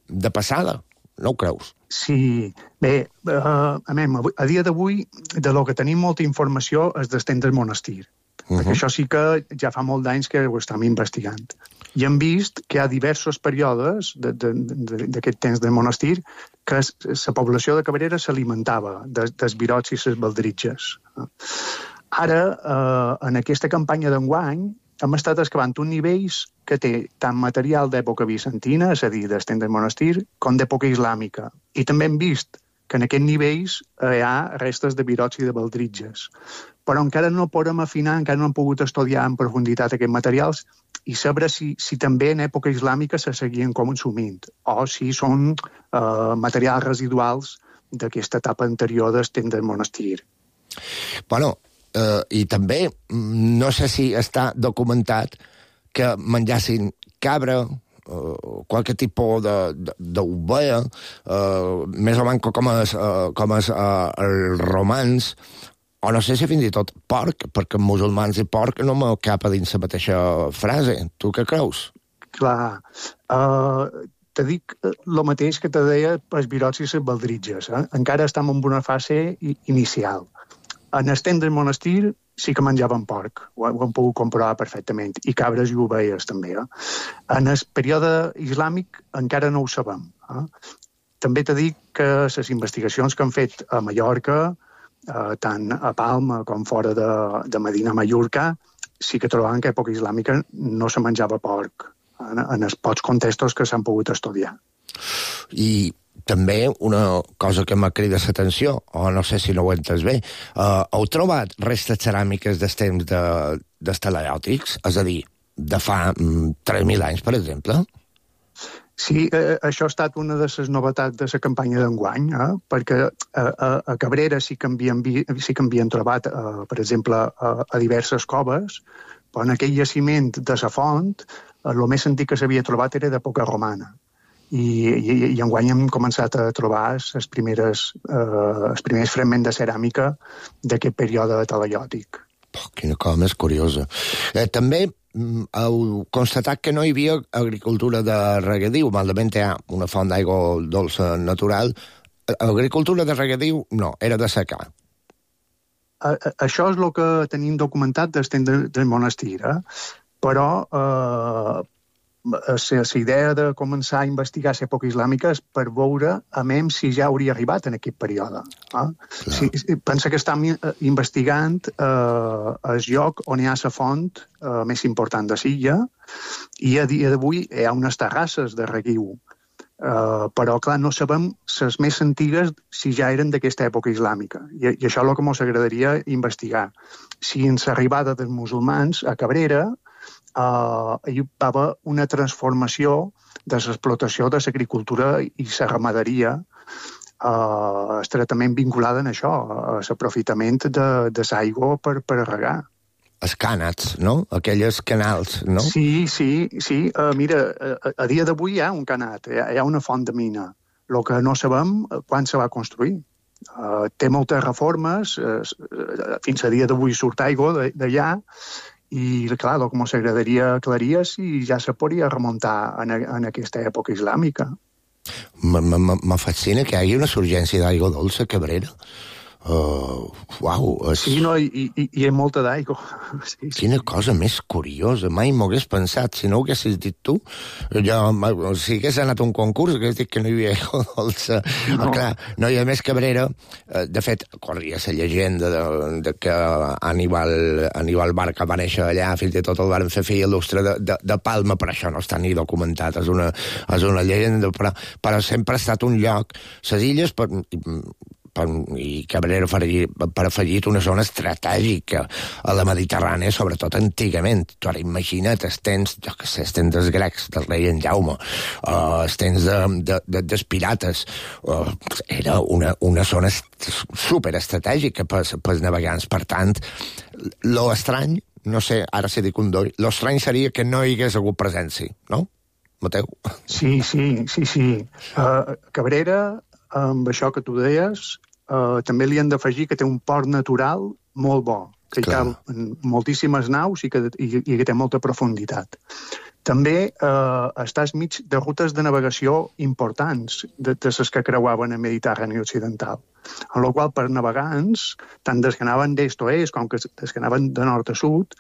Speaker 4: de passada. No ho creus?
Speaker 10: Sí. Bé, a dia d'avui, de lo que tenim molta informació és d'estem del monestir. Perquè això sí que ja fa molt d'anys que ho estem investigant. I hem vist que hi ha diversos períodes d'aquest temps del monestir que la població de Cabrera s'alimentava dels virots i les baldritges. Ara, en aquesta campanya d'enguany, hem estat excavant uns nivells que té tant material d'època bizantina, és a dir, d'estem del monestir, com d'època islàmica. I també hem vist que en aquests nivells hi ha restes de virots i de baldritges. Però encara no podem afinar, encara no hem pogut estudiar en profunditat aquests materials i saber si també en època islàmica se seguien consumint o si són materials residuals d'aquesta etapa anterior d'estem del monestir.
Speaker 4: Bueno, i també no sé si està documentat que menjassin cabra, qualque tipus d'ovella, més o menys com els romans, o no sé si fins i tot porc, perquè musulmans i porc no me cap a dins la mateixa frase. Tu què creus?
Speaker 10: Clar. te dic el mateix que te deia pels virots i les baldritges. Encara estem en una fase inicial. En el temps del monestir sí que menjaven porc, ho hem pogut comprovar perfectament, i cabres i ovelles també. En el període islàmic encara no ho sabem. També t'he dit que les investigacions que han fet a Mallorca, tant a Palma com fora de Medina Mallorca, sí que trobaven que a època islàmica no se menjava porc en els pocs contextos que s'han pogut estudiar.
Speaker 4: I també una cosa que m'ha cridat l'atenció, o no sé si no ho he entès bé, heu trobat restes ceràmiques dels temps d'estalaiòtics? És a dir, de fa 3.000 anys, per exemple?
Speaker 10: Sí, això ha estat una de les novetats de la campanya d'enguany, perquè a Cabrera sí que havien trobat, per exemple, a diverses coves, però en aquell jaciment de la font, el més antic que s'havia trobat era d'època romana. I enguany hem començat a trobar els primers fragments de ceràmica d'aquest període talaiòtic.
Speaker 4: Quina cosa més curiosa. També heu constatat que no hi havia agricultura de regadiu, malament hi ha una font d'aigua dolça natural. Agricultura de regadiu no, era de secà.
Speaker 10: Això és el que tenim documentat des del monestir, però la idea de començar a investigar l'època islàmica és per veure a même si ja hauria arribat en aquest període. Pensa que estem investigant el lloc on hi ha la font més important de l'illa i a dia d'avui hi ha unes terrasses de reguiu. Però, clar, no sabem les més antigues si ja eren d'aquesta època islàmica. I això és el que ens agradaria investigar. Si en l'arribada dels musulmans a Cabrera hi va haver una transformació de l'explotació de l'agricultura i la ramaderia estretament vinculada a això, a l'aprofitament de l'aigua per regar.
Speaker 4: Els cànats, no? Aquelles canals, no?
Speaker 10: Sí. Mira, a dia d'avui hi ha un canat, hi ha una font de mina. El que no sabem quan se va construir. Té moltes reformes, fins a dia d'avui surt aigua d'allà, i, clar, el que ens agradaria aclarir si ja se podria remuntar en aquesta època islàmica.
Speaker 4: Me fascina que hi hagi una surgència d'aigua dolça a Cabrera.
Speaker 10: Sí, no, i hi ha molta d'aigua. Sí.
Speaker 4: Quina cosa més curiosa. Mai m'ho hagués pensat. Si no ho haguessis dit tu, si hagués anat a un concurs, hagués dit que no hi havia aigua dolça. No. Clar, no hi ha més Cabrera. De fet, corria la llegenda de que Aníbal Barca va néixer allà, fins i tot el van fer fill il·lustre de Palma, però això no està ni documentat. És una llegenda, però sempre ha estat un lloc. Les illes, i Cabrera per afegir una zona estratègica a la Mediterrània, sobretot antigament. Tu ara imagina't els temps, jo què sé, els temps dels grecs, del rei en Jaume, els temps dels pirates. Era una zona superestratègica pels navegants. Per tant, lo estrany, no sé, ara si dic un doll, lo estrany seria que no hi hagués hagut presència, no? Mateu?
Speaker 10: Sí. Cabrera, amb això que tu deies, també li han d'afegir que té un port natural molt bo, que hi cal moltíssimes naus i que té molta profunditat. També estàs mig de rutes de navegació importants, de les que creuaven el Mediterrani occidental, en la qual per navegants, tant des que anaven d'est a est com des que anaven de nord a sud,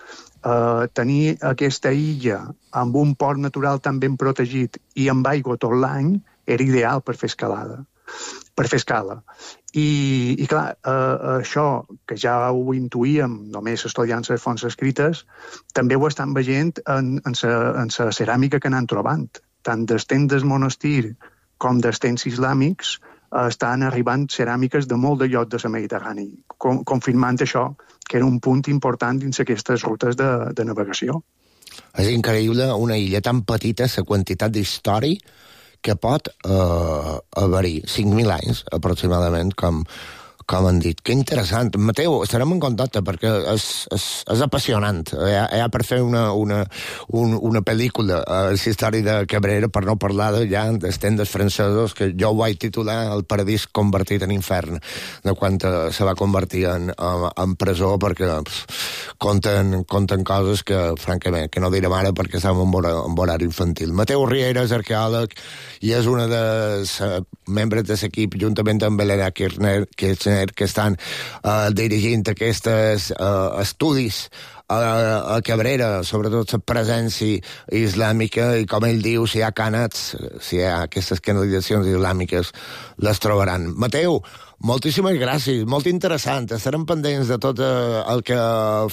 Speaker 10: tenir aquesta illa amb un port natural tan ben protegit i amb aigua tot l'any era ideal per fer escala. I clar, això, que ja ho intuïem només estudiant les fonts escrites, també ho estan veient en la ceràmica que anem trobant. Tant dels temps del monestir com dels temps islàmics estan arribant ceràmiques de molt de llocs de la Mediterrani, confirmant això, que era un punt important dins aquestes rutes de navegació.
Speaker 4: És increïble una illa tan petita, la quantitat d'història que pot haver-hi 5.000 anys, aproximadament, com com han dit. Que interessant. Mateu, estarem en contacte perquè és apassionant. Hi ha per fer una pel·lícula a la història de Cabrera, per no parlar ja dels tendes francesos, que jo ho vaig titular El paradís convertit en infern, de quan se va convertir en presó, perquè conten coses que, francament, que no direm ara perquè estem en horari infantil. Mateu Riera és arqueòleg i és una dels membres de l'equip, juntament amb Helena Kirchner, que estan dirigint aquests estudis a Cabrera, sobretot la presència islàmica, i com ell diu, si hi ha cànats, si hi ha aquestes canalitzacions islàmiques, les trobaran. Mateu, moltíssimes gràcies, molt interessant. Estarem pendents de tot el que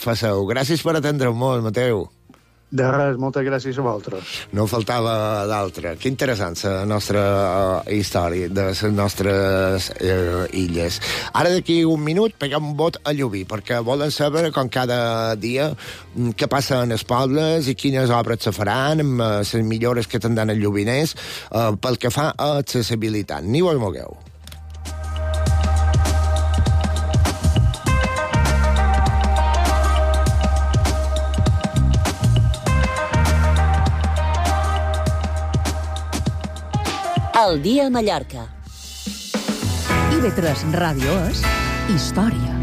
Speaker 4: faceu. Gràcies per atendre'm, Mateu.
Speaker 10: De res, moltes gràcies a vosaltres.
Speaker 4: No faltava d'altre. Que interessant la nostra història de les nostres illes. Ara d'aquí un minut peguem un vot a Llubí, perquè volen saber, com cada dia, què passa en els pobles i quines obres se faran, amb les millores que tindran els llubiners, pel que fa a accessibilitat. Ni vos mogueu.
Speaker 2: El dia a Mallorca.
Speaker 3: IB3 Ràdio és història.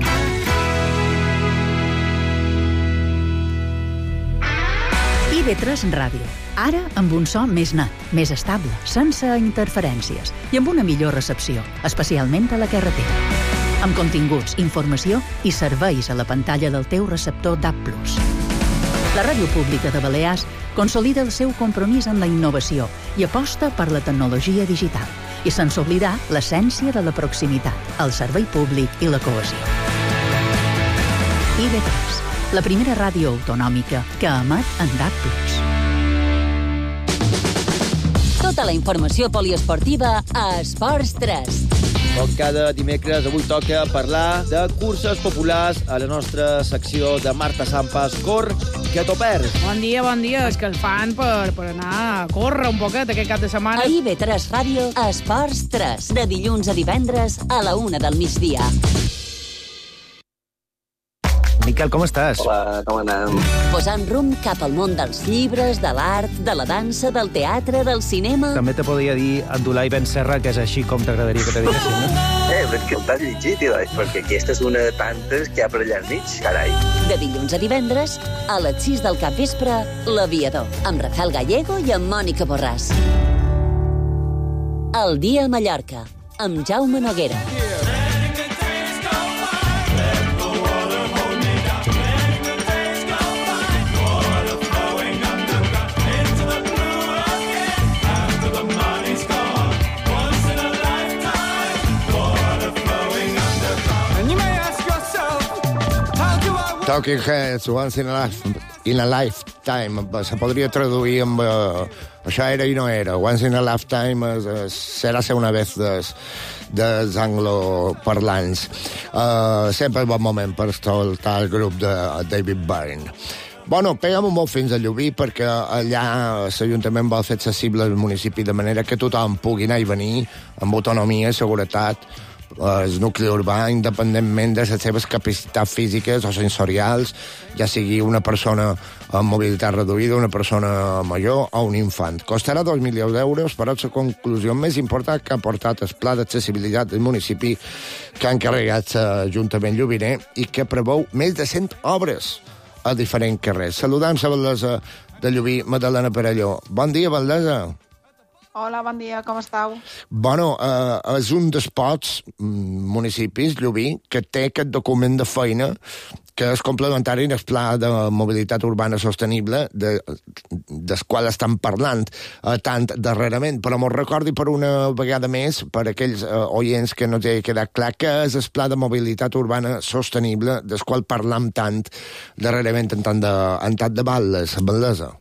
Speaker 3: IB3 Ràdio. Ara amb un so més net, més estable, sense interferències i amb una millor recepció, especialment a la carretera. Amb continguts, informació i serveis a la pantalla del teu receptor DAB+. La Ràdio Pública de Balears consolida el seu compromís en la innovació i aposta per la tecnologia digital, i sense oblidar l'essència de la proximitat, el servei públic i la cohesió. IB3, la primera ràdio autonòmica que emet en DAB+.
Speaker 2: Tota la informació poliesportiva a Esports 3.
Speaker 11: Com cada dimecres, avui toca parlar de curses populars a la nostra secció de Marta Sampas. Cor, que t'ho perds.
Speaker 12: Bon dia. És que el fan per anar a córrer un poquet aquest cap de setmana.
Speaker 2: A IB3 Ràdio, Esports 3, de dilluns a divendres a la 1 del migdia.
Speaker 13: Miquel, com estàs?
Speaker 14: Hola, com anem?
Speaker 2: Posant rumb cap al món dels llibres, de l'art, de la dansa, del teatre, del cinema...
Speaker 13: També te podria dir Abdulai Ben Serra, que és així com t'agradaria que te diguessin, no?
Speaker 14: Però és que el t'has llegit, perquè aquesta és una de tantes que hi ha per allà al mig, carai.
Speaker 2: De dilluns a divendres, a les 6 del capvespre, L'Aviador, amb Rafael Gallego i amb Mònica Borràs. El dia a Mallorca, amb Jaume Noguera.
Speaker 4: Talking Heads, Once in a Lifetime. Se podria traduir amb... això era i no era. Once in a Lifetime serà ser una vez dels angloparlants. Sempre és bon moment per escoltar el grup de David Byrne. Bueno, peguem un molt fins a Llubí, perquè allà l'Ajuntament vol fer accessible al municipi de manera que tothom pugui anar i venir amb autonomia, seguretat, el nucli urbà, independentment de les seves capacitats físiques o sensorials, ja sigui una persona amb mobilitat reduïda, una persona major o un infant. Costarà 2 milions d'euros, però la conclusió més important que ha portat el pla d'accessibilitat del municipi que ha encarregat l'Ajuntament llubiner i que preveu més de 100 obres a diferents carrers. Saludem la Valdesa de Llubí, Madalena Perelló. Bon dia, Valdesa.
Speaker 15: Hola, bon dia, com estàu?
Speaker 4: Bueno, és un dels pocs municipis, Llubí, que té aquest document de feina que és complementari al pla de mobilitat urbana sostenible del qual estan parlant tant darrerament, però m'ho recordi per una vegada més, per aquells oients que no té quedat clar, que és el pla de mobilitat urbana sostenible del qual parlam tant darrerament en tant de Balles, Valdesa.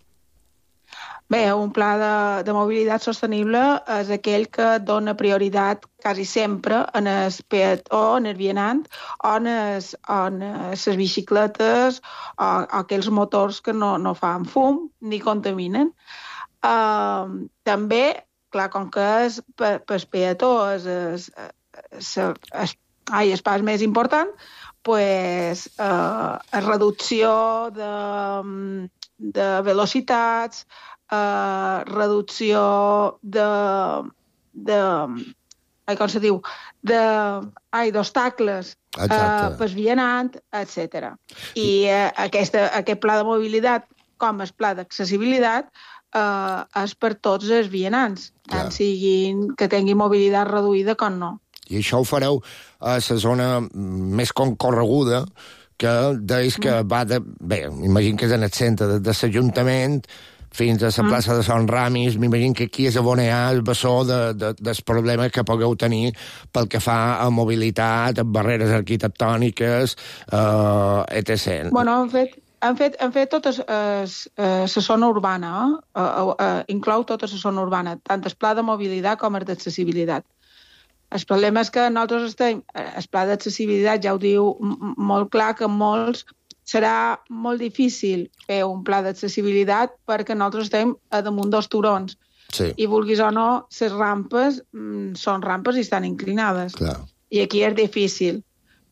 Speaker 15: Bé, un pla de mobilitat sostenible és aquell que dona prioritat quasi sempre en el peató, en el vianant, o en les bicicletes o aquells motors que no fan fum ni contaminen. També, clar, com que és pel peató, el pas més important, pues, reducció de velocitats, reducció com se diu, d'obstacles pel vianant, etc. I aquest pla de mobilitat, com el pla d'accessibilitat, és per tots els vianants, tant siguin que tinguin mobilitat reduïda com no.
Speaker 4: I això ho fareu a la zona més concorreguda, que deies que va de... Bé, m'imagino que és en el centre de l'Ajuntament fins a la plaça de Sant Ramis. M'imagino que aquí és on hi ha el bessó dels problemes que pugueu tenir pel que fa a mobilitat, a barreres arquitectòniques, etc.
Speaker 15: Bueno, han fet tota la zona urbana, inclou tota la zona urbana, tant el pla de mobilitat com el d'accessibilitat. El problema és que nosaltres estem... El pla d'accessibilitat ja ho diu molt clar, que molts serà molt difícil fer un pla d'accessibilitat perquè nosaltres estem a damunt dels turons.
Speaker 4: Sí.
Speaker 15: I vulguis o no, les rampes són rampes i estan inclinades.
Speaker 4: Clar.
Speaker 15: I aquí és difícil.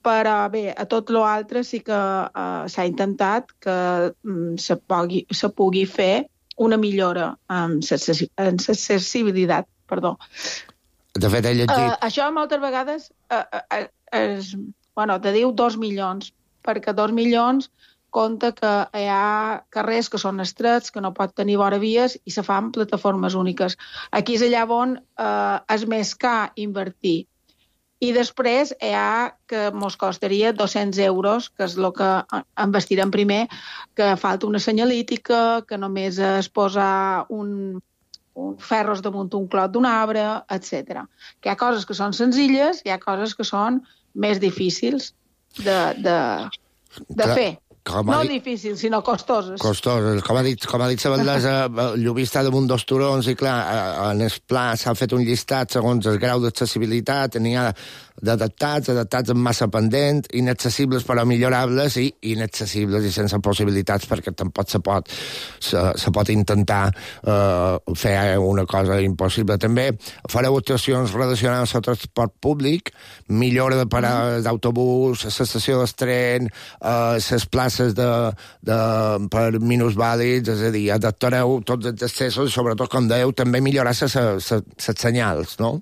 Speaker 15: Però bé, a tot l'altre sí que s'ha intentat que se pugui fer una millora en l'accessibilitat. Perdó.
Speaker 4: De fet, he llegit...
Speaker 15: Això moltes vegades te diu 2 milions, perquè 2 milions compta que hi ha carrers que són estrets, que no pot tenir vora vies i se fan plataformes úniques. Aquí és allà on és més car invertir. I després hi ha que ens costaria 200 euros, que és el que investirem primer, que falta una senyalítica, que només es posa un ferros damunt un clot d'un arbre, etc. Que hi ha coses que són senzilles, hi ha coses que són més difícils de fer. No difícils, sinó costoses.
Speaker 4: Costoses. Com ha dit la Vendlesa, Llubí està damunt dels turons i, clar, en el pla s'ha fet un llistat segons el grau d'accessibilitat, n'hi ha d'adaptats amb massa pendent, inaccessibles però millorables i inaccessibles i sense possibilitats, perquè tampoc se pot intentar fer una cosa impossible. També fareu actuacions relacionades amb el transport públic, millora de parades d'autobús, l'estació del tren, les places per minusvàlids, és a dir, adaptareu tots els accessos i, sobretot, com dèieu, també millorar les senyals, no?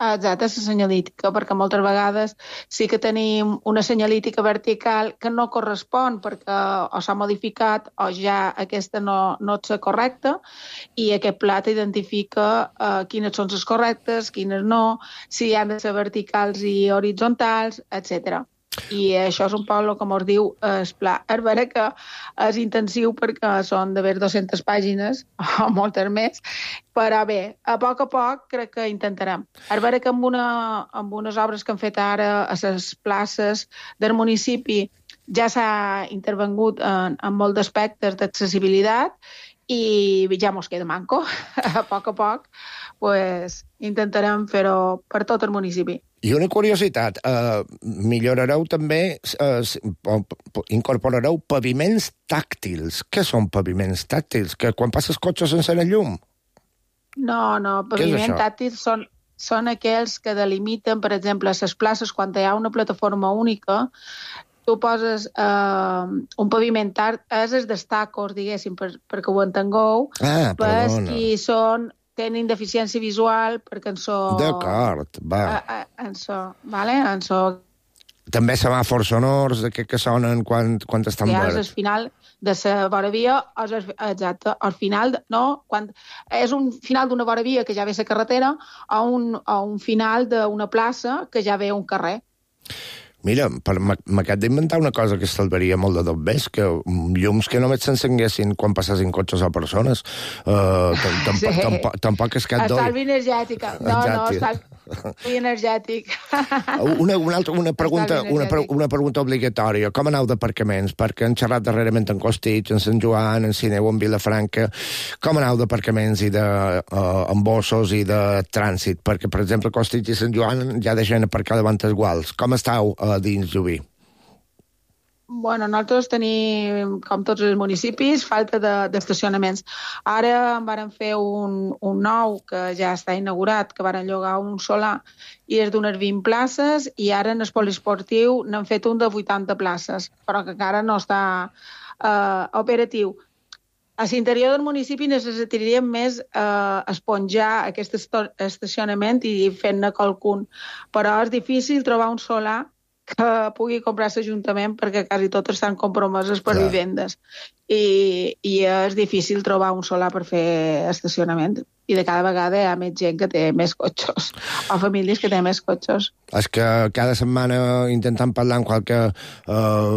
Speaker 15: Exacte, la senyalítica, perquè moltes vegades sí que tenim una senyalítica vertical que no correspon perquè o s'ha modificat o ja aquesta no és correcta, i aquest pla t'identifica quines són les correctes, quines no, si han de ser verticals i horitzontals, etc. I això és un poc el que ens diu el pla. És vera que és intensiu perquè són d'haver 200 pàgines, o moltes més, però bé, a poc crec que intentarem. És vera que amb unes obres que han fet ara a les places del municipi ja s'ha intervengut en molts aspectes d'accessibilitat i ja mos queda manco. A poc pues, intentarem fer-ho per tot el municipi.
Speaker 4: I una curiositat, millorareu també, incorporareu paviments tàctils. Què són paviments tàctils? Que quan passes cotxes s'encén el llum?
Speaker 15: No, paviments tàctils són aquells que delimiten, per exemple, a les places, quan hi ha una plataforma única, tu poses un paviment és els destacos, diguéssim, perquè ho entengueu, per qui tenen deficiència visual, perquè en so...
Speaker 4: D'acord, va.
Speaker 15: En so...
Speaker 4: També semàfors sonors, que sonen quan estan verds.
Speaker 15: És el final de la voravia, exacte, al final, no, quan és un final d'una voravia que ja ve la carretera, o un final d'una plaça que ja ve un carrer.
Speaker 4: Mira, m'acabo d'inventar una cosa que salvaria molt de tot més, que llums que només s'encenguessin quan passessin cotxes o persones. Tampoc és cap d'oi.
Speaker 15: Estalvi energètica. No, estalvi energètic.
Speaker 4: Una pregunta obligatòria. Com aneu d'aparcaments? Perquè han xerrat darrerament en Costitx, en Sant Joan, en Sineu, en Vilafranca. Com aneu d'aparcaments i d'embossos i de trànsit? Perquè, per exemple, Costitx i Sant Joan ja deixen aparcar davant els guals. Com estàu dins Llubí?
Speaker 15: Bueno, nosaltres tenim, com tots els municipis, falta d'estacionaments. Ara en varen fer un nou, que ja està inaugurat, que varen llogar un solar, i és d'unes 20 places, i ara en el poliesportiu n'han fet un de 80 places, però que encara no està operatiu. A l'interior del municipi necessitaríem més esponjar aquest estacionament i fer-ne qualcun, però és difícil trobar un solar que pugui comprar l'Ajuntament perquè quasi totes estan compromeses per vivendes i és difícil trobar un solar per fer estacionament i de cada vegada hi ha més gent que té més cotxes o famílies que tenen més cotxes.
Speaker 4: És que cada setmana intentem parlar amb qualque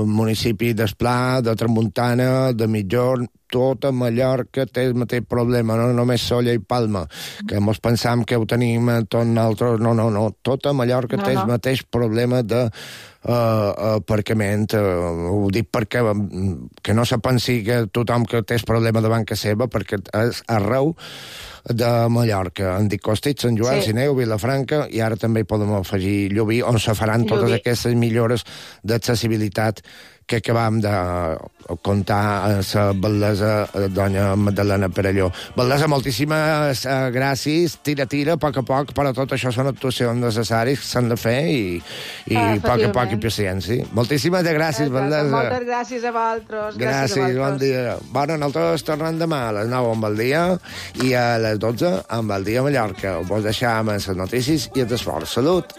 Speaker 4: municipi d'Esplà, de Tramuntana, de Mitjorn, tota Mallorca té el mateix problema, no només Solla i Palma, que mos pensam que ho tenim tot nosaltres. No. Tota Mallorca té el mateix problema de aparcament. Ho dic perquè que no se pensi que tothom que té el problema davant que seva, perquè és arreu de Mallorca. En dic Costitx, Sant Joan, Sineu, Vilafranca, i ara també hi podem afegir Llubí, on se faran totes aquestes millores d'accessibilitat que acabam de contar a la bellesa doña Magdalena Perelló. Bellesa, moltíssimes gràcies. Tira, a poc a poc, però tot això són actuacions necessàries que s'han de fer i a poc i paciència. Moltíssimes gràcies, Bellesa.
Speaker 15: Moltes gràcies a vosaltres.
Speaker 4: Gràcies, bon dia. Bueno, nosaltres tornem demà a les 9 amb el dia i a les 12 amb el dia a Mallorca. Vos deixam les notícies i els esports. Salut!